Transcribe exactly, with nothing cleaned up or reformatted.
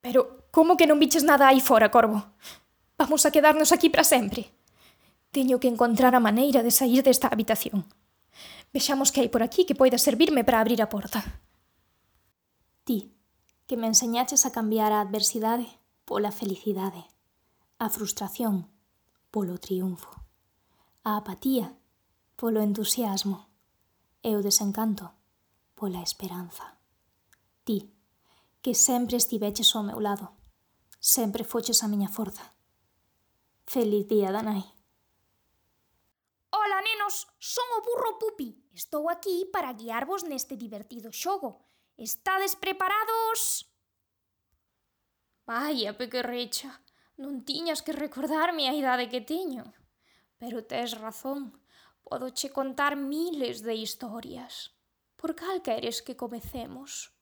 Pero como que non viches nada aí fora, Corvo? Vamos a quedarnos aquí para sempre. Teño que encontrar a maneira de sair desta habitación. Vexamos que hai por aquí que poida servirme para abrir a porta. Ti, que me enseñaches a cambiar a adversidade pola felicidade, a frustración polo triunfo, a apatía polo entusiasmo e o desencanto pola esperanza. Ti, que sempre estiveches ao meu lado, sempre foches a miña forza. Feliz día da nai. Ola, nenos, son o burro Pupi. Estou aquí para guiarvos neste divertido xogo. Estades preparados? Vaia, pequerrecha, non tiñas que recordarme a idade que teño. Pero tes razón, podoche contar miles de historias. Por cal queres que comecemos?